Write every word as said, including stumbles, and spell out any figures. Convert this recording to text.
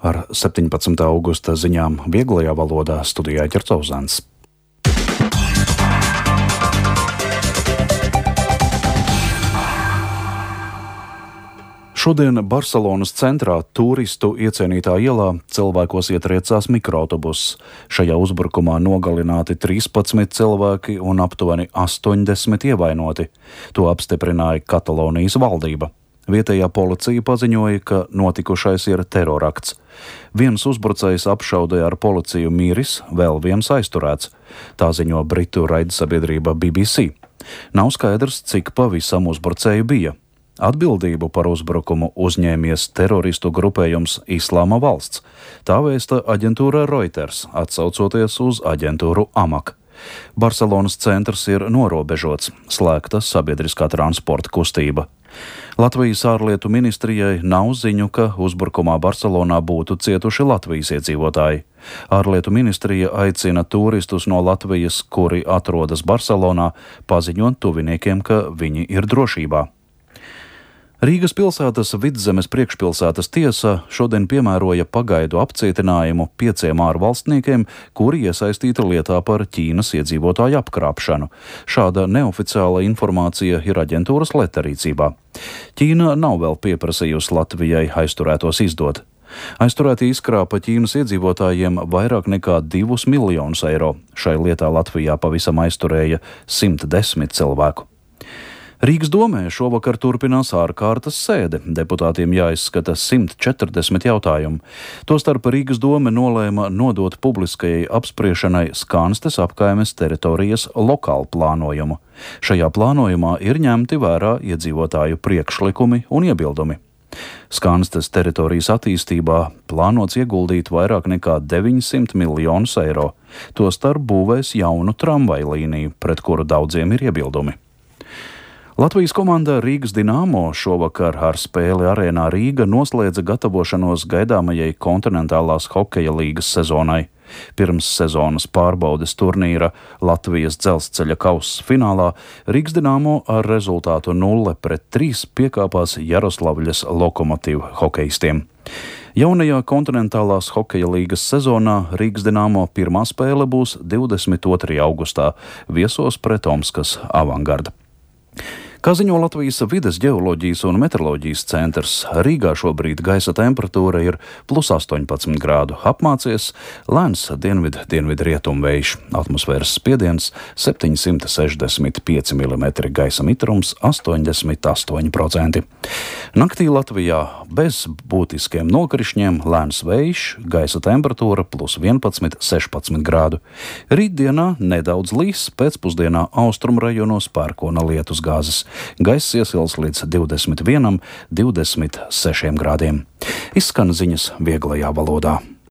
Ar septiņpadsmitā augusta ziņām vieglajā valodā studijā Ķercauzāns. Šodien Barcelonas centrā turistu iecienītā ielā cilvēkos ietriecās mikroautobus. Šajā uzbrukumā nogalināti trīspadsmit cilvēki un aptuveni astoņdesmit ievainoti. To apstiprināja Katalonijas valdība. Vietējā policija paziņoja, ka notikušais ir terorakts. Viens uzbrucējs apšaudīja ar policiju miris, vēl viens aizturēts. Tā ziņo britu raidsabiedrība B B C. Nav skaidrs, cik pavisam uzbrucēju bija. Atbildību par uzbrukumu uzņēmies teroristu grupējums Islāma valsts. Tā vēsta aģentūra Reuters, atsaucoties uz aģentūru Amak. Barcelonas centrs ir norobežots, slēgta sabiedriskā transporta kustība. Latvijas ārlietu ministrijai nav ziņu, ka uzbrukumā Barcelonā būtu cietuši Latvijas iedzīvotāji. Ārlietu ministrija aicina turistus no Latvijas, kuri atrodas Barcelonā, paziņot tuviniekiem, ka viņi ir drošībā. Rīgas pilsētas Vidzemes priekšpilsētas tiesa šodien piemēroja pagaidu apcietinājumu pieciem ārvalstniekiem, kuri iesaistīti lietā par Ķīnas iedzīvotāju apkrāpšanu. Šāda neoficiāla informācija ir aģentūras Leta rīcībā. Ķīna nav vēl pieprasījusi Latvijai aizturētos izdot. Aizturēti izkrāpa Ķīnas iedzīvotājiem vairāk nekā divus miljonus eiro. Šai lietā Latvijā pavisam aizturēja simt desmit cilvēku. Rīgas domē šovakar turpinās ārkārtas sēde. Deputātiem jāizskata simt četrdesmit jautājumu. Tostarp Rīgas dome nolēma nodot publiskajai apspriešanai Skanstes apkaimes teritorijas lokālu plānojumu. Šajā plānojumā ir ņemti vērā iedzīvotāju priekšlikumi un iebildumi. Skanstes teritorijas attīstībā plānots ieguldīt vairāk nekā deviņsimt miljonus eiro. Tostarp būvēs jaunu tramvaju līniju, pret kuru daudziem ir iebildumi. Latvijas komanda Rīgas Dinamo šovakar ar spēli arēnā Rīga noslēdza gatavošanos gaidāmajai kontinentālās hokeja līgas sezonai. Pirms sezonas pārbaudes turnīra Latvijas dzelzceļa kausa finālā Rīgas Dinamo ar rezultātu nulle pret trīs piekāpās Jaroslavļas Lokomotiv hokejistiem. Jaunajā kontinentālās hokeja līgas sezonā Rīgas Dinamo pirmā spēle būs divdesmit otrajā augustā viesos pret Omskas Avangardu. Kā ziņo Latvijas vides ģeoloģijas un meteoroloģijas centrs, Rīgā šobrīd gaisa temperatūra ir plus astoņpadsmit grādu, apmācies lēns dienvid-dienvidrietumu vējš, atmosfēras spiediens septiņsimt sešdesmit pieci milimetri, gaisa mitrums astoņdesmit astoņi procenti. Naktī Latvijā bez būtiskiem nokrišņiem lēns vējš, gaisa temperatūra plus vienpadsmit sešpadsmit grādu. Rītdienā nedaudz līs, pēcpusdienā austrumu rajonos pērkona lietus gāzes. Gaiss iesils līdz divdesmit vienam, divdesmit sešiem grādiem. Izskan ziņas vieglajā valodā.